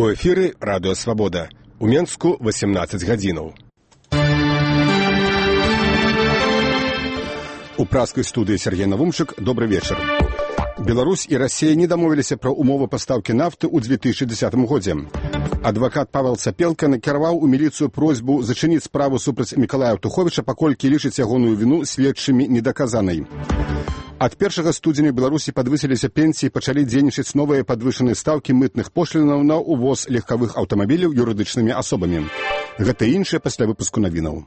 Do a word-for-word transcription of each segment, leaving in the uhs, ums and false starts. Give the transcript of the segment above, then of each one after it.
У эфіры радыё Свабода. У Менску васемнаццаць гадзінаў. У праскай студыі Сергей Навумчык. Добры вечар. Беларусь і Расія не дамовіліся пра умовы пастаўкі нафты ў две тысячы дзесятым годзе. Адвакат Павел Цапелка накіраваў у міліцыю просьбу зачыніць справу супраць Мікалая Туховіча, паколькі лічыць ягоную віну следчымі недаказанай. Ад першага студзеня Беларусі падвысіліся пенсіі, пачалі дзейнічаць новыя падвышаныя стаўкі мытных пошлінаў на ўвоз легкавых аўтамабіляў юрыдычнымі асобамі. Гэта і іншае пасля выпуску навінаў.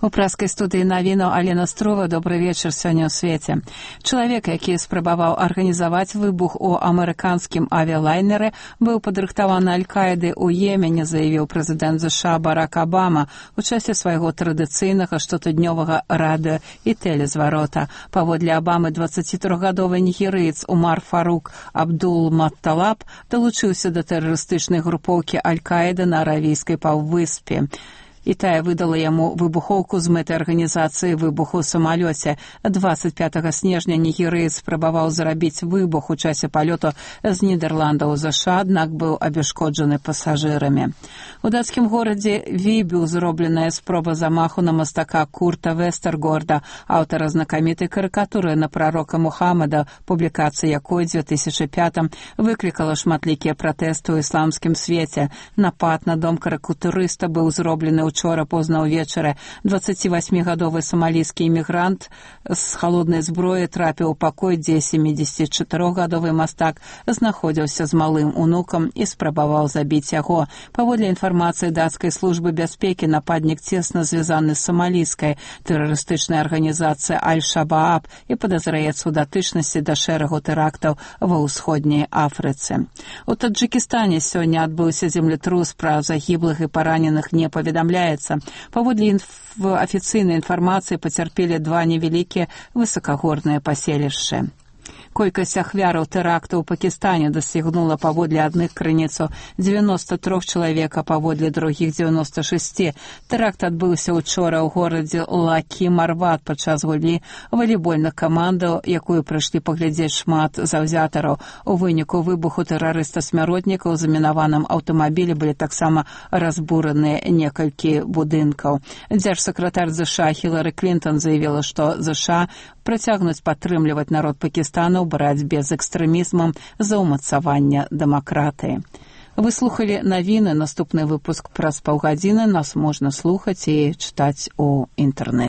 У праскай студыі навінаў Алена Строва. Добры вечар сёння ў свеце. Чалавек, які спрабаваў арганізаваць выбух у амерыканскім авіялайнеры, быў падрыхтаваны Аль-Каідай у Йемене, заявіў прэзідэнт ЗША Барак Абама у часе свайго традыцыйнага штотыднёвага радыё і тэлезварота. Паводле Абамы, дваццацітрохгадовы нігерыец Умар Фарук Абдул-Матталаб далучыўся да тэрарыстычнай групоўкі Аль-Каіда на Аравійскай паўвыспе. І тая выдала яму выбухоўку з мэтай арганізацыі выбуху ў самалёце. дваццаць пятага снежня нігерыец спрабаваў зрабіць выбух у часе палёту з Нідерландаў у ЗША, аднак быў абяшкоджаны пасажырамі. У дацкім горадзе Вібю зробленая спроба замаху на мастака Курта Вестергорда, аўтара знакамітай карыкатуры на прарока Мухаммада, публікацыя якой у две тысячы пятым выклікала шматлікія пратэсты ў ісламскім свеце. Напад на дом карыкатурыста быў зроблены ў Учора позна ўвечары. дваццацівасьмігадовы самалійскі імігрант з халоднай зброі трапіў у пакой, дзе сямідзесятчатырохгадовы мастак знаходзіўся з малым унукам і спрабаваў забіць яго. Паводле інфармацыі дацкай службы бяспекі, нападнік цесна звязаны з самалійскай тэрарыстычнай арганізацыяй Аль-Шабааб і падазраецца ў датычнасці да шэрагу тэрактаў ва ўсходняй Афрыцы. У Таджыкістане сёння адбыўся землетрус, пра загіблых і параненых не паведамляецца. Паводле інф... афіцыйнай інфармацыі пацярпелі два невялікія высакагорныя паселішчы. Колькасць ахвяраў тэрактаў у Пакістане дасягнула паводле адных крыніцаў дзевяноста трох чалавек, а паводле другіх дзевяноста шэсць. Тэракт адбыўся ўчора ў горадзе Лакі-Марват падчас гульні валейбольных камандаў, якую прыйшлі паглядзець шмат заўзятараў. У выніку выбуху тэрарыста-смяротнікаў у замінаваным аўтамабілі былі таксама разбураныя некалькі будынкаў. Дзяржсакратар ЗША Хілары Клінтон заявіла, што ЗША працягнуць падтрымліваць народ Пакістана ў барацьбе з экстрэмізмам за ўмацаванне дэмакратыі. Вы слухалі навіны. Наступны выпуск праз паўгадзіны. Нас можна слухаць і чытаць у інтэрнэце.